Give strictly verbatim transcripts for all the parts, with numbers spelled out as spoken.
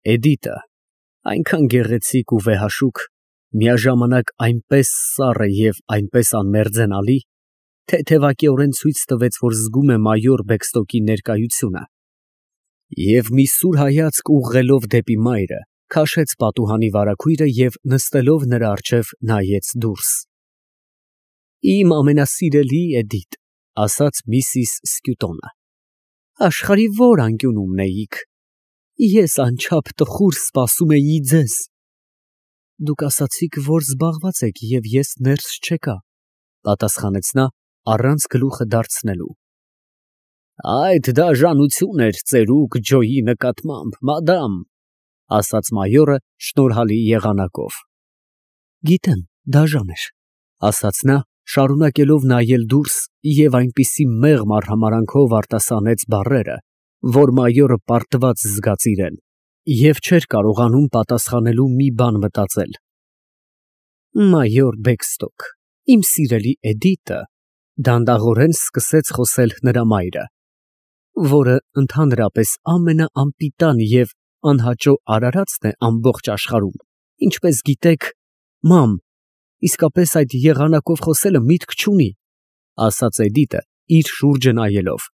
Էդիտը այնքան գեղեցիկ ու վեհաշուք, միաժամանակ այնպես սառը և այնպես անմերձենալի, թեթևակիորեն ցույց տվեց, որ զգում է մայոր Բեքստոկի ներկայությունը, և մի սուր հայացք ուղղելով դեպի մայրը, քաշեց պատուհանի վարագույրը և նստելով նրա առջև նայեց դուրս։ Իմ ամենասիրելի Էդիտ, ֊ ասաց միսիս Սկյուտոնը, ֊ աշխարհի ո՞ր անկյունում էիք, ես անչափ տխուր սպասում էի ձեզ։ Դուք ասացիք, որ զբաղված եք և ես ներս չեկա, ֊ պատասխանեց նա, առանց գլուխը դարձնելու։ Այդ դաժանություն էր ծերուկ Ջոյի նկատմամբ, մադամ, ֊ ասաց մայորը շնորհալի եղանակով։ Գիտեմ, դաժան էր, ֊ ասաց նա, շարունակելով նայել դուրս և այնպիսի մեղմ արհամարհանքով արտասանեց բառերը, որ մայորը պարտված զգաց իրեն և չէր կարողանում պատասխանելու մի բան մտածել։ Մայոր Բեքստոկ, իմ սիրելի Էդիտը, ֊ դանդաղորեն սկսեց խոսել նրա մայրը, որը ընդհանրապես ամենաանպիտան և անհաճո արարածն է ամբողջ աշխարհում, ինչպես գիտեք, մամ, իսկապես այդ եղանակով խոսելը միտք չունի, ֊ ասաց Էդիտը իր շուրջը նայելով։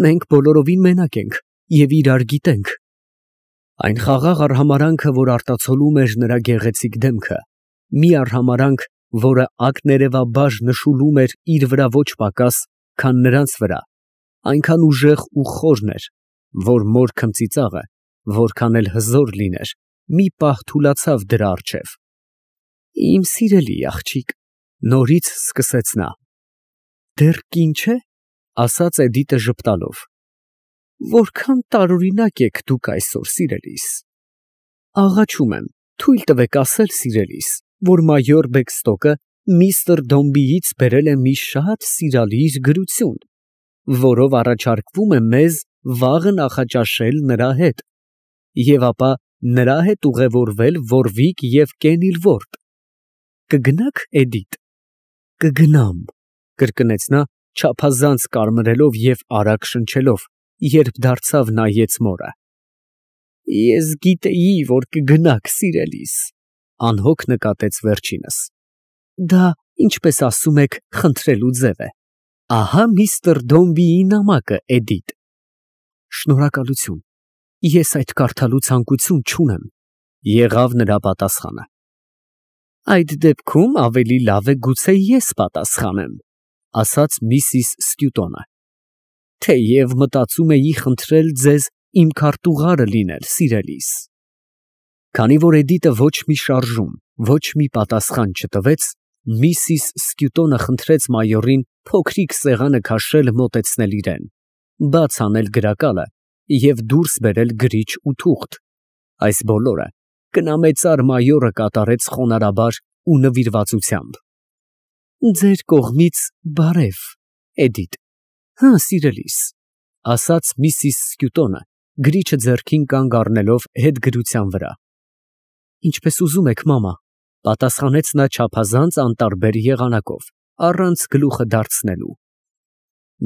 Մենք բոլորովին մենակ ենք և իրար գիտենք։ Այն խաղաղ արհամարհանքը, որ արտացոլում էր նրա գեղեցիկ դեմքը, մի արհամարհանք, որը ակներևաբար նշուլում էր իր վրա ոչ պակաս, քան նրանց վրա, այնքան ուժեղ ու խորն էր, որ մոր քմծիծաղը, որքան էլ հզոր լիներ, մի պահ թուլացավ դրա առջև։ Իմ սիրելի աղջիկ, ֊ նորից սկսեց նա։ Դեռ կին չէ, ֊ ասաց Էդիտը ժպտալով։ Որքան տարօրինակ եք դուք այսօր, սիրելիս։ Աղաչում եմ, թույլ տվեք ասել, սիրելիս, որ մայոր Բեքստոկը միստր Դոմբիից բերել է մի շատ սիրալիր գրություն, որով առաջարկվում է մեզ վաղը նախաճաշել նրա հետ և ապա նրա հետ ուղևորվել Ոռվիկ և Կենիլվորթ։ Կգնա՞ք, Էդիտ։ Կգնամ, ֊ կրկնեց նա, չափազանց կարմրելով և արագ շնչելով, երբ դարձավ նայեց մորը։ Ես գիտեի, որ կգնաք, սիրելիս, ֊ անհոգ նկատեց վերջինս։ Դա, ինչպես ասում եք, խնդրելու ձև է։ Ահա միստր Դոմբիի նամակը, Էդիտ։ Շնորհակալություն, ես այդ կարդալու ցանկություն չունեմ, ֊ եղավ նրա պատասխանը։ Այդ դեպքում ավելի լավ է գուցե ես պատասխանեմ, ֊ ասաց միսիս Սկյուտոնը, թեև մտածում էի խնդրել ձեզ իմ քարտուղարը լինել, սիրելիս։ Քանի որ Էդիտը ոչ մի շարժում, ոչ մի պատասխան չտվեց, միսիս Սկյուտոնը խնդրեց մայորին փոքրիկ սեղանը քաշել մոտեցնել իրան, բաց անել գրակալը և դուրս բերել գրիչ ու թուղթ։ Այս բոլորը կնամեծար մայորը կատարեց խոնարհաբար ու նվիրվածությամբ։ Ձեր կողմից բարև, Էդիտ։ Հը, սիրելիս, ֊ ասաց միսիս Սկյուտոնը, գրիչը ձեռքին կանգ առնելով հետգրության վրա։ Ինչպես ուզում եք, մամա, ֊ պատասխանեց նա չափազանց անտարբեր եղանակով, առանց գլուխը դարձնելու։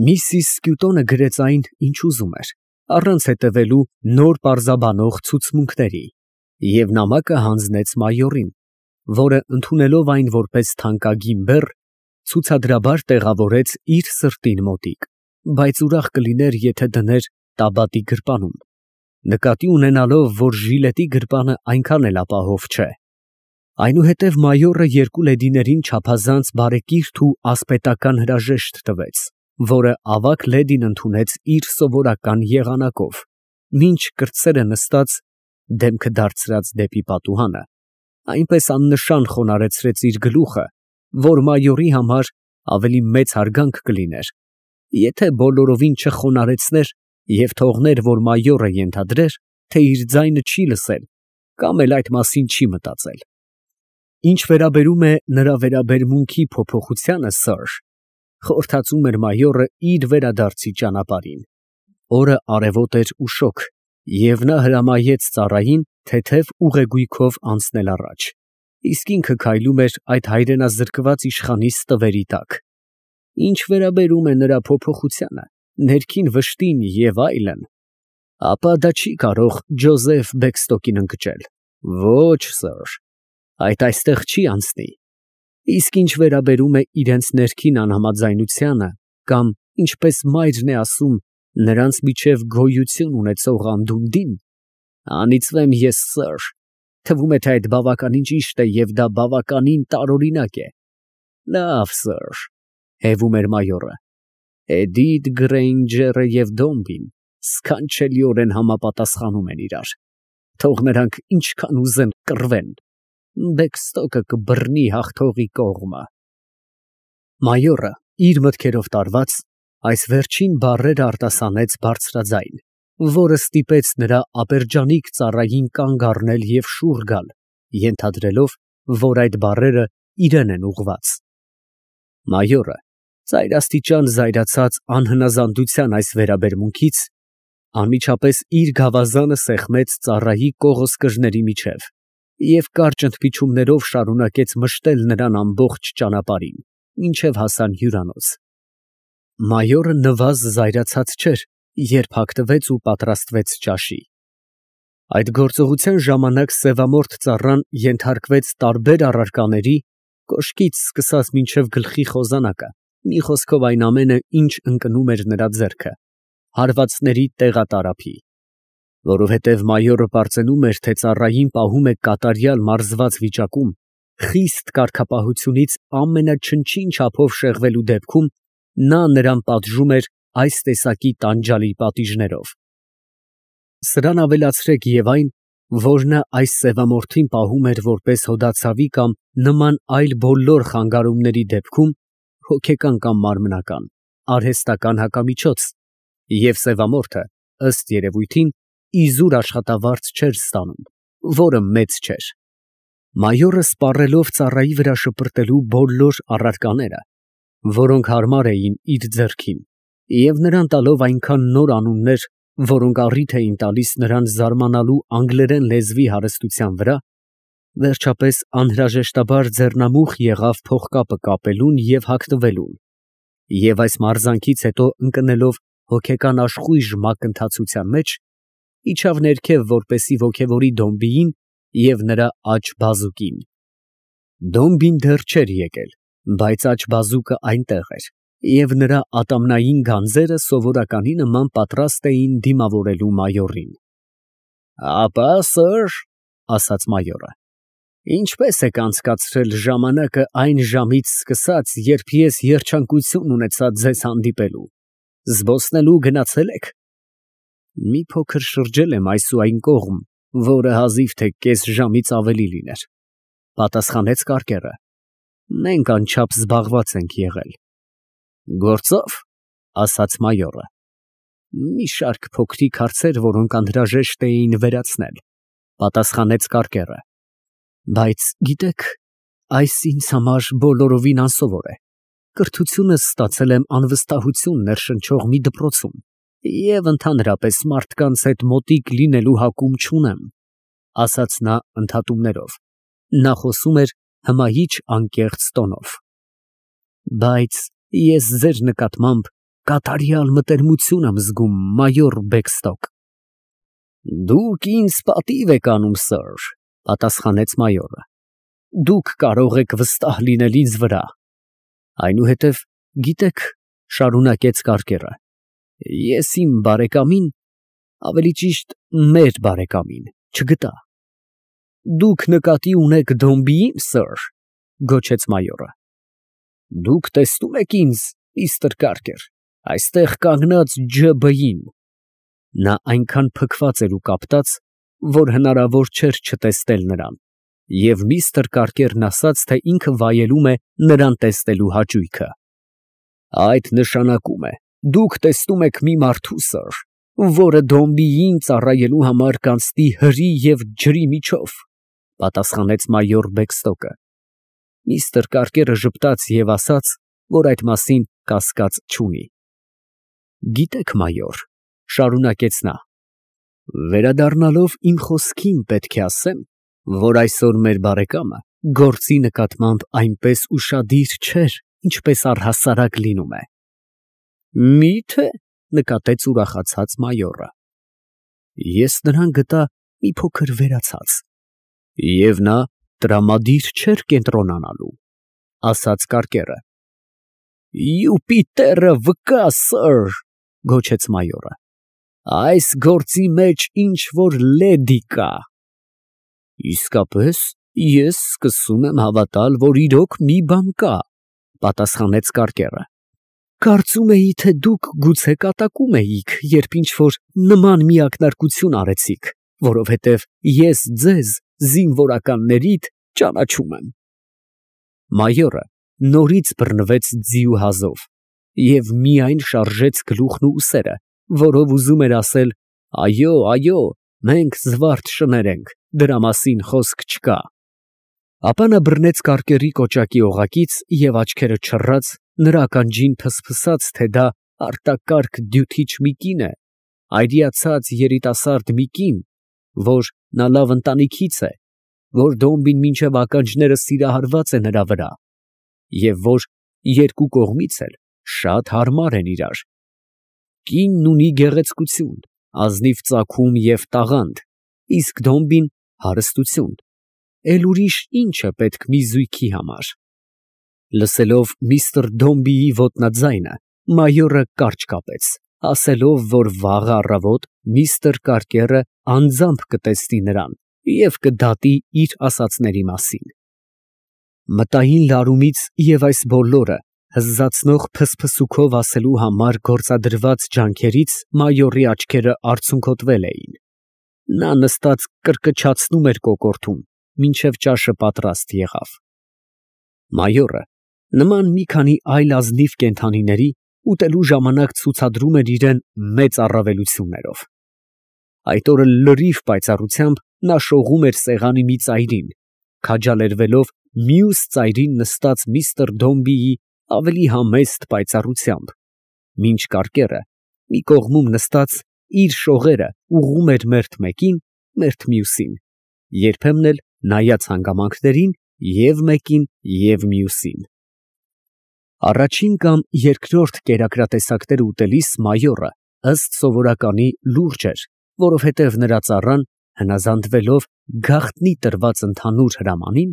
Միսիս Սկյուտոնը գրեց այն, ինչ ուզում էր, առանց հետևելու նոր պարզաբանող ցուցմունքների, և նամակը հանձնեց մայորին, որը, ընդունելով այն որպես թանկագին բեռ, ցուցադրաբար տեղավորեց իր սրտին մոտիկ, բայց ուրախ կլիներ, եթե դներ տաբատի գրպանում, նկատի ունենալով, որ ժիլետի գրպանը այնքան էլ ապահով չէ։ Այնուհետև մայորը երկու լեդիներին չափազանց բարեկիրթ ու ասպետական հրաժեշտ տվեց, որը ավագ լեդին ընդունեց իր սովորական եղանակով, մինչ կրտսերը նստած, դեմքը դարձրած դեպի պատուհանը, այնպես աննշան խոնարհեցրեց իր գլուխը, որ մայորի համար ավելի մեծ հարգանք կլիներ, եթե բոլորովին չխոնարհեցներ և թողներ, որ մայորը ենթադրեր, թե իր ձայնը չի լսել կամ էլ այդ մասին չի մտածել։ Ինչ վերաբերում է նրա վերաբերմունքի փոփոխությանը, սըր, խորհրդածում էր մայորը իր վերադարձի ճանապարհին։ Օրը արևոտ էր ու շոգ, և նա հրամայեց ծառային թեթև ուղեգույքով անցնել առաջ, իսկ ինքը քայլում էր այդ հայրենազրկված իշխանի ստվերի տակ։ Ինչ վերաբերում է նրա փոփոխությանը, ներքին վշտին և այլն, Ապա դա չի կարող Ջոզեֆ Բեքստոկին ընկճել։ Ոչ, սըր, այդ այստեղ չի անցնի։ Իսկ ինչ վերաբերում է իրենց ներքին անհամաձայնությանը, կամ, ինչպես մայրն է ասում, նրանց միջև գոյություն ունեցող անդունդին, անիծվեմ ես, սըր, թվում է, թե այդ բավականին ճիշտ է և դա բավականին տարօրինակ է։ Լավ, սըր, հևում էր մայորը, Էդիթ Գրեյնջերը և Դոմբին սքանչելիորեն համապատասխանում են իրար, թող նրանք ինչքան ուզեն կռվեն, Բեքստոկը կբռնի հաղթողի կողմը։ Մայորը, իր մտքերով տարված, այս վերջին բառերը արտասանեց բարձրաձայն, որը ստիպեց նրա ապերջանիկ ծառային կանգ առնել և շուռ գալ, ենթադրելով, որ այդ բառերը իրան են ուղղված։ Մայորը, ծայրաստիճան զայրացած անհնազանդության այս վերաբերմունքից, անմիջապես իր գավազանը սեղմեց ծառայի կողոսկրների միջև և կարճ ընդմիջումներով շարունակեց մշտել նրան ամբողջ ճանապարհին, մինչև հասան հյուրանոց։ Մայորը նվազ զայրացած չէր, երբ հագնվեց ու պատրաստվեց ճաշի։ Այդ գործողության ժամանակ սևամորթ ծառան ենթարկվեց տարբեր առարկաների, կոշկից սկսած մինչև գլխի խոզանակը, մի խոսքով այն ամենը, ինչ ընկնում էր նրա ձեռքը, հարվածների տեղատարափի։ Որովհետև մայորը պարծենում էր, թե ծառային պահում է կատարյալ մարզված վիճակում, խիստ կարգապահությունից ամենաչնչին չափով շեղվելու դեպքում նա նրան պատժում էր այս տեսակի տանջալի պատիժներով։ Սրան ավելացրեք և այն, որ նա այս սևամորթին պահում էր որպես հոդացավի կամ նման այլ բոլոր խանգարումների դեպքում հոգեկան կամ մարմնական, արհեստական հակամիջոց, և սևամորթը, ըստ երևույթին, իզուր աշխատավարձ չէր ստանում, որը մեծ չէր։ Մայորը սպառելով ծառայի վրա շպրտելու բոլոր առարկաները, որոնք հարմար էին իր ձեռքին, և նրան տալով այնքան նոր անուններ, որոնք առիթ էին տալիս նրան զարմանալու անգլերեն լեզվի հարստության վրա, վերջապես անհրաժեշտաբար ձեռնամուխ եղավ փողկապը կապելուն և հագնվելուն, և այս մարզանքից հետո ընկնելով հոգեկան աշխույժ մակընթացության մեջ, իջավ ներքև, որպեսզի ոգևորի Դոմբիին և նրա աջ բազուկին։ Դոմբին դեռ չէր եկել, բայց աջ բազուկը այնտեղ էր, և նրա ատամնային գանձերը սովորականի նման պատրաստ էին դիմավորելու մայորին։ Ապա, սըր, ասաց մայորը, ինչպե՞ս եք անցկացրել ժամանակը այն ժամից սկսած, երբ ես երջանկություն ունեցա ձեզ հանդիպելու, զբոսնելու գնացե՞լ եք։ Մի փոքր շրջել եմ այս ու այն կողմ, որը հազիվ թե կես ժամից ավելի լիներ, պատասխանեց կարկերը։ Մենք անչափ զբաղված ենք եղել։ Գործո՞վ, ասաց մայորը։ Մի շարք փոքրիկ հարցեր, որոնք անհրաժեշտ էին վերացնել, պատասխանեց կարկերը։ Բայց գիտեք, այս ինձ համար բոլորովին անսովոր է։ Կրթությունս ստացել եմ անվստահություն ներշնչող մի դպրոցում և ընդհանրապես մարդկանց հետ մոտիկ լինելու հակում չունեմ, ասաց նա ընդհատումներով։ Նա խոսում էր հմայիչ անկեղծ տոնով։ Բայց ես ձեր նկատմամբ կատարյալ մտերմություն եմ զգում, մայոր Բեքստոկ։ Դուք ինձ պատիվ եք անում, սըր, պատասխանեց մայորը։ Դուք կարող եք վստահ լինել ինձ վրա։ Այնուհետև, գիտեք, շարունակեց կարկերը, ես իմ բարեկամին, ավելի ճիշտ մեր բարեկամին, չգտա։ Դուք նկատի ունեք Դոմբիի՞ն, սըր, գոչեց մայորը։ Դուք տեսնում եք ինձ, միստր Կարկեր, այստեղ կանգնած ջը բի֊ին։ Նա այնքան փքված էր ու կապտած, որ հնարավոր չէր չտեսնել նրան, և միստր Կարկերն ասաց, թե ինքը վայելում է նրան տեսնելու հաճույքը։ Այդ նշանակում է, դուք տեսնում եք մի մարդու, սըր, որը Դոմբիին ծառայելու համար կանցնի հրի և ջրի միջով, պատասխանեց մայոր Բեքստոկը։ Միստր Կարկերը ժպտաց և ասաց, որ այդ մասին կասկած չունի։ Գիտեք, մայոր, շարունակեց նա, վերադառնալով իմ խոսքին, պետք է ասեմ, որ այսօր մեր բարեկամը գործի նկատմամբ այնպես ուշադիր չէր, ինչպես առհասարակ լինում է։ Մի՞թե, նկատեց ուրախացած մայորը։ Ես նրան գտա մի փոքր վերացած, և նա տրամադիր չէր կենտրոնանալու, ասաց կարկերը։ Յուպիտերը վկա, սըր, գոչեց մայորը, այս գործի մեջ ինչ որ լեդի կա։ Իսկապես, ես սկսում եմ հավատալ, որ իրոք մի բան կա, պատասխանեց կարկերը։ Կարծում էի, թե դուք գուցե կատակում էիք, երբ ինչ որ նման մի ակնարկություն արեցիք, որովհետև ես ձեզ զինվորականներիդ ճանաչում եմ։ Մայորը նորից բռնվեց ձիու հազով և միայն շարժեց գլուխն ու ուսերը, որով ուզում էր ասել. «Այո, այո, մենք զվարթ շներ ենք, դրա մասին խոսք չկա»։ Ապա նա բռնեց կարկերի կոճակի օղակից և աչքերը չռած, նրա ականջին ֆսֆսաց, թե դա արտակարգ դյութիչ մի կին է, այրիացած երիտասարդ մի կին, որ նա լավ ընտանիքից է, որ Դոմբին մինչև ականջները սիրահարված է նրա վրա, և որ երկու կողմից էլ շատ հարմար են իրար։ Կինն ունի գեղեցկություն, ազնիվ ծագում և տաղանդ, իսկ Դոմբին հարստություն, էլ ուրիշ ի՞նչ է պետք մի զույգի համար։ Լսելով միստր Դոմբիի ոտնաձայնը, մայորը կարճ կապեց, ասելով, որ վաղը առավոտ միստր Կարկերը անձամբ կտեսնի նրան և կդատի իր ասածների մասին։ Մտային լարումից և այս բոլորը հզզացնող փսփսուքով ասելու համար գործադրված ջանքերից մայորի աչքերը արցունքոտվել էին։ Նա նստած կրկչացնում էր կոկորդում, մինչև ճաշը պատրաստ եղավ։ Մայորը, նման մի քանի այլ ազնիվ կենդանիների, ուտելու ժամանակ ցուցադրում էր իրեն մեծ առավելություններով։ Այդ օրը լրիվ պայծառությամբ նա շողում էր սեղանի մի ծայրին, քաջալերվելով մյուս ծայրին նստած միստր Դոմբիի ավելի համեստ պայծառությամբ, մինչ կարկերը, մի կողմում նստած, իր շողերը ուղղում էր մերթ մեկին, մերթ մյուսին, երբեմն էլ նայած հանգամանքներին և մեկին և մյուսին։ Առաջին կամ երկրորդ կերակրատեսակները ուտելիս մայորը, ըստ սովորականի, լուրջ էր, որովհետև նրա ծառան, հնազանդվելով գաղտնի տրված ընդհանուր հրամանին,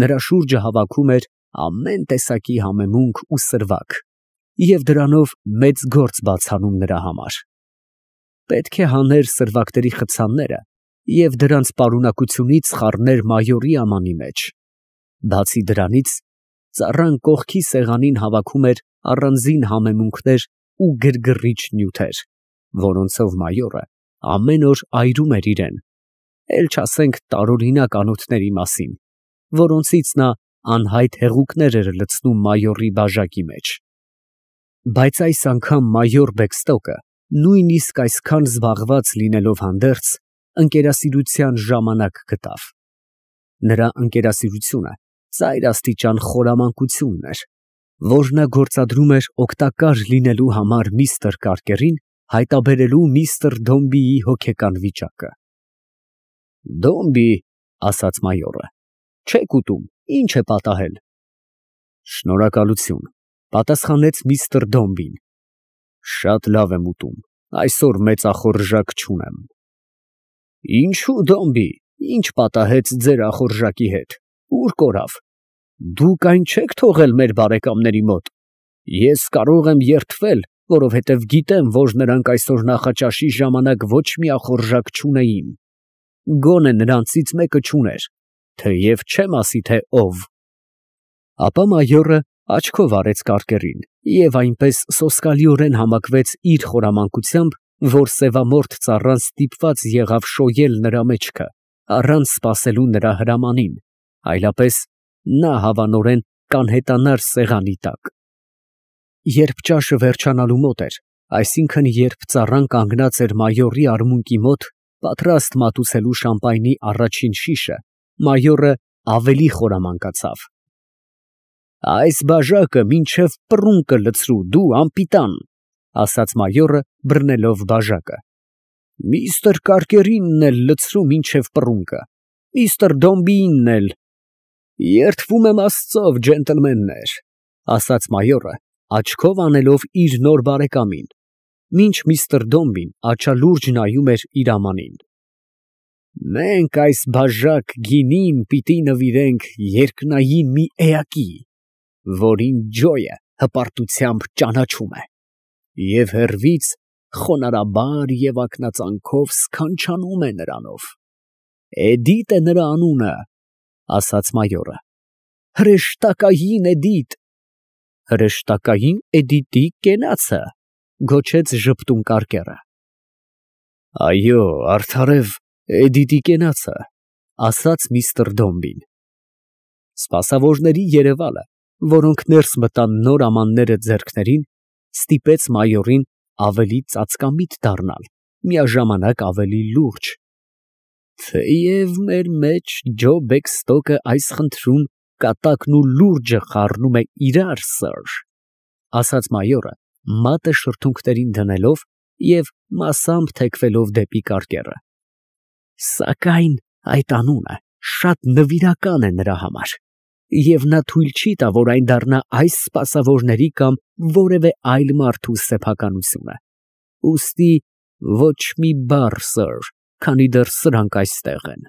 նրա շուրջը հավաքում էր ամեն տեսակի համեմունք ու սրվակ և դրանով մեծ գործ բաց անում նրա համար։ Պետք է հաներ սրվակների խցանները և դրանց պարունակությունից խառներ մայորի ամանի մեջ։ Բացի դրանից, ծառան կողքի սեղանին հավաքում էր առանձին համեմունքներ ու գրգռիչ նյութեր, որոնցով մայորը ամեն օր այրում էր իրեն, էլ չասենք տարօրինակ անոթների մասին, որոնցից նա անհայտ հեղուկներ էր լցնում մայորի բաժակի մեջ։ Բայց այս անգամ մայոր Բեքստոկը, նույնիսկ այսքան զբաղված լինելով հանդերձ, ընկերասիրության ժամանակ գտավ։ Նրա ընկերասիրությունը ծայրաստիճան խորամանկությունն էր, որ նա գործադրում էր օգտակար լինելու համար միստր Կարկերին, հայտնաբերելու միստր Դոմբիի հոգեկան վիճակը։ Դոմբի, ասաց մայորը, չեք ուտում, ի՞նչ է պատահել։ Շնորհակալություն, պատասխանեց միստր Դոմբին, շատ լավ եմ ուտում, այսօր մեծախորժակ չունեմ։ Ինչո՞ւ, Դոմբի, ի՞նչ պատահեց ձեր ախորժակի հետ, ուր կորավ։ Դուք այն չեք թողել մեր բարեկամների մոտ։ Ես կարող եմ երդվել, որովհետև գիտեմ, որ նրանք այսօր նախաճաշի ժամանակ ոչ մի ախորժակ չունեին։ Գոնե նրանցից մեկը չուներ, թեև չեմ ասի, թե ով։ Ապա մայորը աչքով արեց Կարկերին և այնպես սոսկալիորեն համակվեց իր խորամանկությամբ, որ սևամորթ ծառան ստիպված եղավ շոյել նրա մեջքը, առանց սպասելու նրա հրամանին, այլապես նա հավանորեն կանհետանար սեղանի տակ։ Երբ ճաշը վերջանալու մոտ էր, այսինքն երբ ծառան կանգնած էր մայորի արմունկի մոտ, պատրաստ մատուցելու շամպայնի առաջին շիշը, մայորը ավելի խորամանկացավ։ Այս բաժակը մինչև պռունկը լցրու, դու անպիտան, ասաց մայորը, բռնելով բաժակը։ Միստր Կարկերինն էլ լցրու մինչև պռունկը, միստր Դոմբիին էլ։ Երդվում եմ Աստծով, ջենտլմեններ, ասաց մայորը, աչքով անելով իր նոր բարեկամին։ Մինչ միստր Դոմբին աչալուրջ նայում էր իր ամանին։ Մենք այս բաժակ գինին պիտի նվիրենք երկնային մի էակի, որին Ջոյը հպարտությամբ ճանաչում է, և հեռվից խոնարհաբար և ակնածանքով սքանչանում է նրանով։ Էդիտ է նրա անունը, ասաց մայորը։ Հրեշտակային Էդիտ։ Հրեշտակային Էդիտի կենացը, գոչեց ժպտուն կարկերը։ Այո, արդարև Էդիտի կենացը, ասաց միստր Դոմբին։ Սպասավորների երևալը, որոնք ներս մտան նոր ամանները ձեռքներին, ստիպեց մայորին ավելի ծածկամիտ դառնալ, միաժամանակ ավելի լուրջ։ Թեև մեր մեջ Ջո Բեքստոկը այս խնդրում կատակն ու լուրջը խառնում է իրար, սըր, ասաց մայորը, մատը շրթունքներին դնելով և մասամբ թեքվելով դեպի կարկերը։ Սակայն այդ անունը շատ նվիրական է նրա համար, և նա թույլ չի տա, որ այն դառնա այս սպասավորների կամ որևէ այլ մարդու սեփականությունը։ Ուստի ոչ մի բառ, սըր, քանի դեռ սրանք այստեղ են։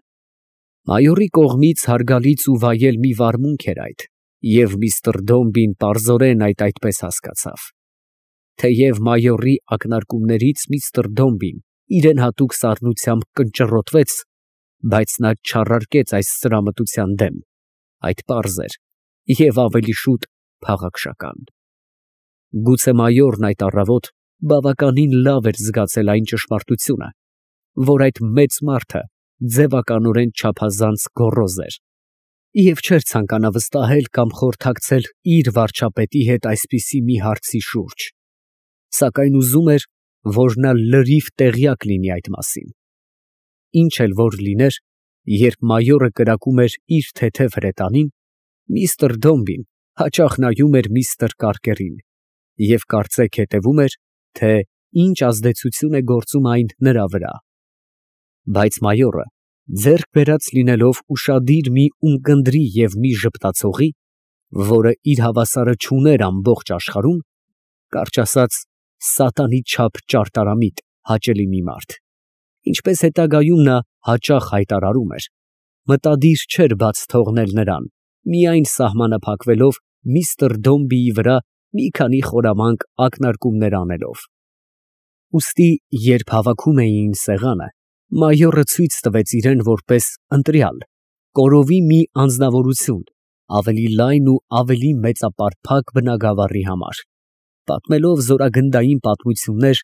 Մայորի կողմից հարգալից ու վայել մի վարմունք էր այդ, և միստր Դոմբին պարզորեն այդ այդպես հասկացավ։ Թեև մայորի ակնարկումներից միստր Դոմբին իրեն հատուկ սառնությամբ կնճռոտվեց, բայց նա չառարկեց այս սրամտության դեմ, այդ պարզ էր և ավելի շուտ փաղաքշական։ Գուցե մայորն այդ առավոտ բավականին լավ էր զգացել այն ճշմարտությունը, որ այդ մեծ մարդը ձևականորեն չափազանց գոռոզ էր, և չէր ցանկանա վստահել կամ խորհրդակցել իր վարչապետի հետ այսպիսի մի հարցի շուրջ, սակայն ուզում էր, որ նա լրիվ տեղյակ լինի այդ մասին։ Ինչ էլ որ լիներ, երբ մայորը կրակում էր իր թեթև հրետանին, միստր Դոմբին հաճախ նայում էր միստր Կարկերին և կարծեք հետևում էր, թե ինչ ազդեցություն է գործում այն նրա վրա։ Բայց մայորը, ձեռք բերած լինելով ուշադիր մի ունկնդրի և մի ժպտացողի, որը իր հավասարը չուներ ամբողջ աշխարհում, կարճ ասած, սատանի չափ ճարտարամիտ, հաճելի մի մարդ, ինչպես հետագայում նա հաճախ հայտարարում էր, մտադիր չէր բաց թողնել նրան, միայն սահմանափակվելով միստր Դոմբիի վրա մի քանի խորամանկ ակնարկումներ անելով։ Ուստի, երբ հավաքում էին սեղանը, մայորը ցույց տվեց իրեն որպես ընտրյալ, կորովի մի անձնավորություն, ավելի լայն ու ավելի մեծապարփակ բնագավառի համար, պատմելով զորագնդային պատմություններ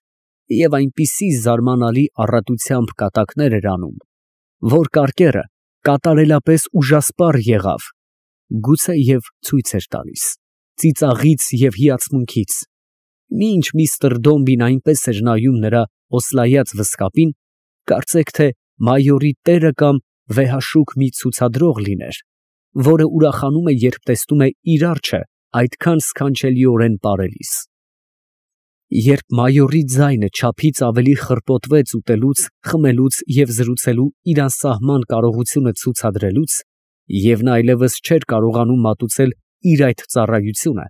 և այնպիսի զարմանալի առատությամբ կատակներ էր անում, որ կարկերը կատարելապես ուժասպառ եղավ, գուցեև ցույց էր տալիս, ծիծաղից և հիացմունքից, մինչ միստր Դոմբին այնպես էր նայում նրա օսլայած վզկապին, կարծեք թե մայորի տերը կամ վեհաշուկ մի ցուցադրող լիներ, որը ուրախանում է, երբ տեսնում է իր արջը այդքան սքանչելիորեն պարելիս։ Երբ մայորի ձայնը չափից ավելի խռպոտվեց ուտելուց, խմելուց և զրուցելու իր անսահման կարողությունը ցուցադրելուց, և նա այլևս չէր կարողանում մատուցել իր այդ ծառայությունը,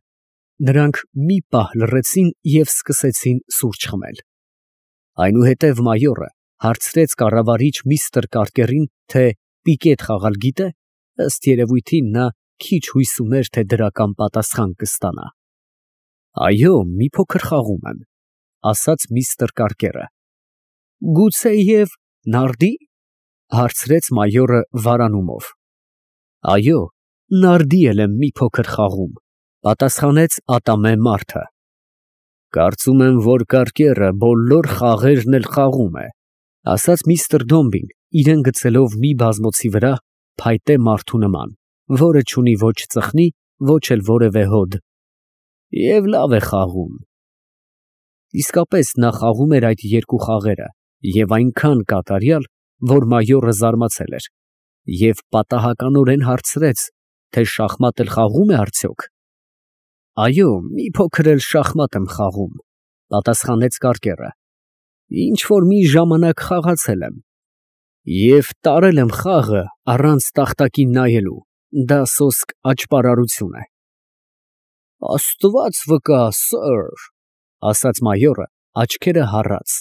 նրանք մի պահ լռեցին և սկսեցին սուրճ խմել։ Այնուհետև մայորը հարցրեց կառավարիչ միստր Կարկերին, թե պիկետ խաղալ գիտե, ըստ երևույթին նա քիչ հույս ուներ, թե դրական պատասխան կստանա։ Այո, մի փոքր խաղում եմ, ասաց միստր Կարկերը։ Գուցեև նարդի, հարցրեց մայորը վարանումով։ Այո, նարդի էլ եմ մի փոքր խաղում, պատասխանեց ատամե մարդը։ Կարծում եմ, որ Կարկերը բոլոր խաղերն էլ խաղում է, ասաց միստր Դոմբին, իրեն գցելով մի բազմոցի վրա փայտե մարդու նման, որը չունի ոչ ծխնի, ոչ էլ որևէ հոդ։ Եվ լավ է խաղում։ Իսկապես նա խաղում էր այդ երկու խաղերը և այնքան կատարյալ, որ մայորը զարմացել էր և պատահականորեն հարցրեց, թե շախմատ էլ խաղում է արդյոք։ Այո, մի փոքր էլ շախմատ եմ խաղում, պատասխանեց Կարկերը, ինչ որ մի ժամանակ խաղացել եմ և տարել եմ խաղը առանց տախտակին նայելու, դա սոսկ աճպարարություն է։ Աստված վկա, սըր, ասաց մայորը, աչքերը հառած։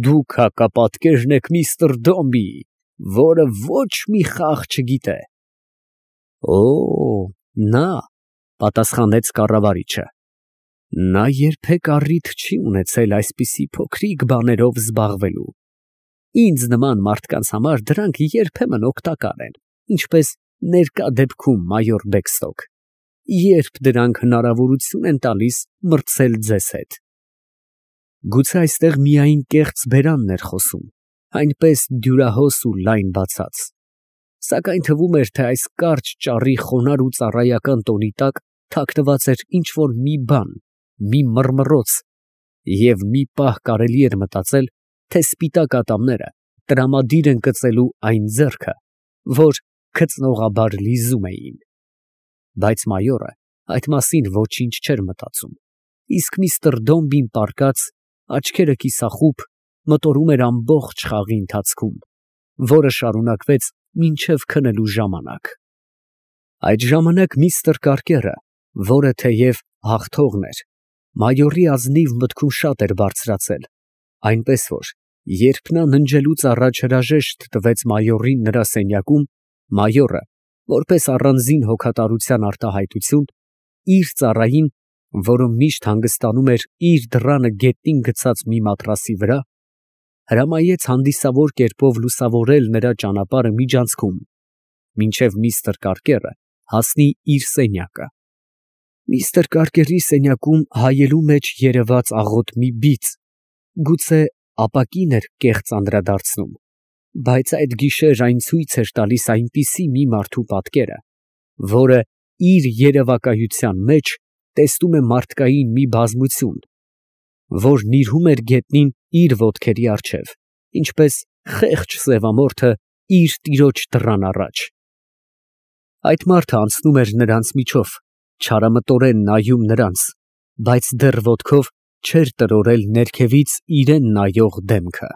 Դուք հակապատկերն եք միստր Դոմբի, որը ոչ մի խաղ չգիտե։ Օ, նա, պատասխանեց կառավարիչը, նա երբեք առիթ չի ունեցել այսպիսի փոքրիկ բաներով զբաղվելու։ Ինձ նման մարդկանց համար դրանք երբեմն օգտակար են, ինչպես ներկա դեպքում մայոր Բեքստոկ, երբ դրանք հնարավորություն են տալիս մրցել ձեզ հետ։ Գուցե այստեղ միայն կեղծ բերանն էր խոսում, այնպես դյուրահոս ու լայն բացած, սակայն թվում էր, թե այս կարճ ճառի խոնարհ ու ծառայական տոնի տակ թաքնված էր ինչ֊որ մի բան, մի մռմռոց, և մի պահ կարելի էր մտածել, թե սպիտակ ատամները տրամադիր են կծելու այն ձեռքը, որ քծնողաբար լիզում էին։ Բայց մայորը այդ մասին ոչինչ չէր մտածում, իսկ միստր Դոմբին պառկած, աչքերը կիսախուբ, մտորում էր ամբողջ խաղի ընթացքում, որը շարունակվեց մինչև քնելու ժամանակ։ Այդ ժամանակ միստր Կարկերը, որը թեև հաղթողն էր, մայորի ազնիվ մտքում շատ էր բարձրացել, այնպես որ, երբ նա ննջելուց առաջ հրաժեշտ տվեց մայորին նրա սենյակում, մայորը, որպես առանձին հոգատարության արտահայտություն, իր ծառային, որը միշտ հանգստանում էր իր դռանը գետնին գցած մի մատրասի վրա, հրամայեց հանդիսավոր կերպով լուսավորել նրա ճանապարհը միջանցքում, մինչև միստր Կարկերը հասնի իր սենյակը։ Միստր Կարկերի սենյակում հայելու մեջ երևաց աղոտ մի բիծ, գուցե ապակին էր կեղծ անդրադարձնում, բայց այդ գիշեր այն ցույց էր տալիս այնպիսի մի մարդու պատկերը, որը իր երևակայության մեջ տեսնում է մարդկային մի բազմություն, որ նիրհում էր գետնին իր ոտքերի առջև, ինչպես խեղճ սևամորթը իր տիրոջ դռան առաջ։ Այդ մարդը անցնում էր նրանց միջով, չարամտորեն նայում նրանց, բայց դեռ ոտքով չէր տրորել ներքևից իրան նայող դեմքը։